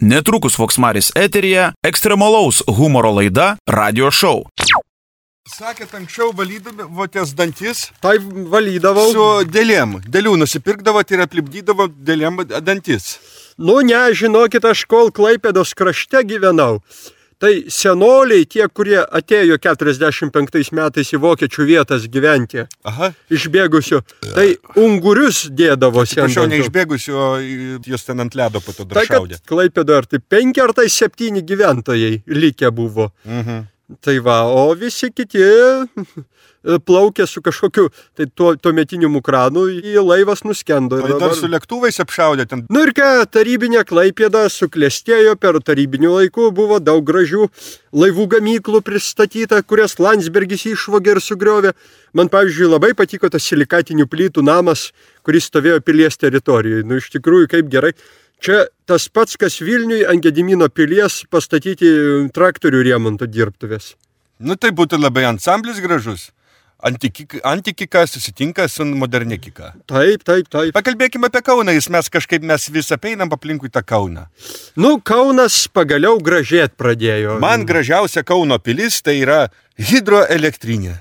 Netrukus Voksmaris eteryje ekstremalaus humoro laida Radio Show. Sakėt, anksčiau valydavotės dantis? Tai valydavau. Su dėlėm. Dėlių nusipirkdavot ir aplipdydavo dėlėm dantis. Nu ne, žinokit, aš kol Klaipėdos krašte gyvenau. Tai senoliai, tie, kurie atėjo 45 metais į vokiečių vietas gyventi, išbėgusių, tai ungurius dėdavosi ant dantų. Prašau, neišbėgusių, o jūs ten ant ledo po to dar šaudė. Klaipėdoje ar tai 5 ar tai 7 gyventojai likę buvo. Tai va, o visi kiti plaukė su kažkokiu, tai tuometiniu mukranu, į laivas nuskendo. O dar su lėktuvais apšaudė ten? Nu ir ką, tarybinė Klaipėda suklestėjo, per tarybinių laikų buvo daug gražių laivų gamyklų pristatyta, kurias Landsbergis išvogė ir sugriovė. Man, pavyzdžiui, labai patiko tas silikatinių plytų namas, kuris stovėjo pilies teritorijoje. Nu, iš tikrųjų, kaip gerai. Čia tas pats, kas Vilniui ant Gedimino pilies pastatyti traktorių remonto dirbtuvės. Nu, tai būtų labai ansamblis gražus. Antikika susitinka su modernikika. Taip. Pakalbėkime apie Kauną, mes vis apeinam aplinkui tą Kauną. Nu, Kaunas pagaliau gražėt pradėjo. Man gražiausia Kauno pilis tai yra hidroelektrinė.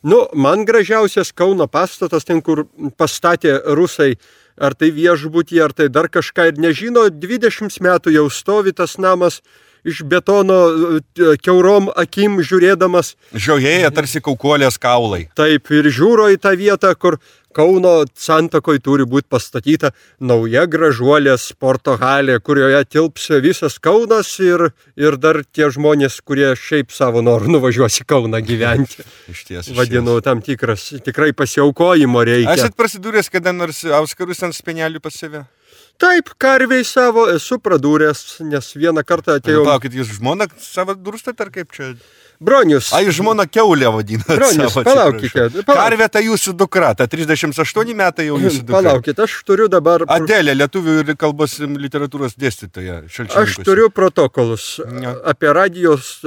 Nu, man gražiausias Kauno pastatas, ten kur pastatė rusai, ar tai viešbutį, ar tai dar kažką, ir nežino, 20 metų jau stovi tas namas, iš betono kiaurom akim žiūrėdamas. Žiojėja tarsi kaukolės kaulai. Taip, ir žiūro į tą vietą, kur Kauno santakoj turi būti pastatyta nauja gražuolė sporto halė, kurioje tilps visas Kaunas ir dar tie žmonės, kurie šiaip savo norų nuvažiuos į Kauną gyventi. Išties. Vadinu, tam tikras, tikrai pasiaukojimo reikia. Esat prasidūręs kada nors auskarus ant spenelių pas save? Taip, karviai savo esu pradūręs, nes vieną kartą atėjau... Palaukit, jūs žmoną savo durstat ar kaip čia? Bronius. Jūs žmoną kiaulę vadinat. Bronius, palaukite. Karvė tai jūsų dukra, ta 38 metai jau jūsų dukra. Palaukit, aš turiu dabar... Adelė, lietuvių ir kalbos literatūros dėstytoja. Aš turiu protokolus apie radijos...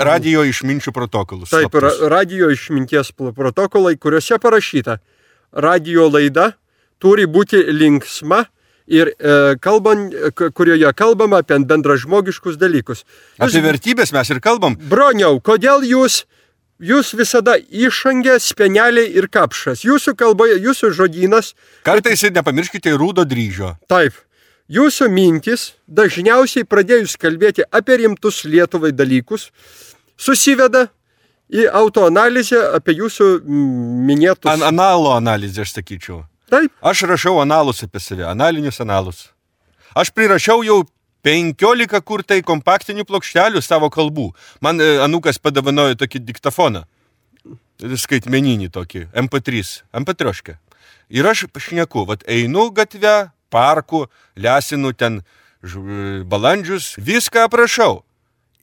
Radijo išminčių protokolus. Taip, radijo išminties protokolai, kuriuose parašyta, radijo laida turi būti linksma ir kurioje kalbama apie bendražmogiškus dalykus. Apie vertybės mes ir kalbam. Broniau, kodėl jūs visada išangė, speneliai ir kapšas? Jūsų kalboje, jūsų žodynas... Kartais ir nepamirškite rūdo dryžio. Taip. Jūsų mintis, dažniausiai pradėjus kalbėti apie rimtus Lietuvai dalykus, susiveda į autoanalizę apie jūsų minėtus... Analo analizę, aš sakyčiau. Taip. Aš rašau analus apie save, analinius analus. Aš prirašiau jau 15 kur tai kompaktinių plokštelių savo kalbų. Man anūkas padavanojo tokį diktafoną, skaitmeninį tokį, MP3. Ir aš šneku, einu gatvę, parku, lesinu ten balandžius, viską aprašau.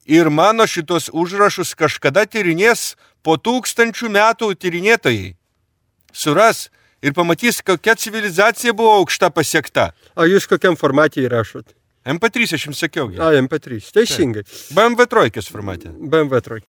Ir mano šitos užrašus kažkada tyrinės po 1000 metų tyrinėtojai. Suras ir pamatys, kokia civilizacija buvo aukšta pasiekta. O jūs kokiam formatį įrašot? MP3, aš jums sakiau. MP3, teisingai. BMW 3 formate. BMW 3.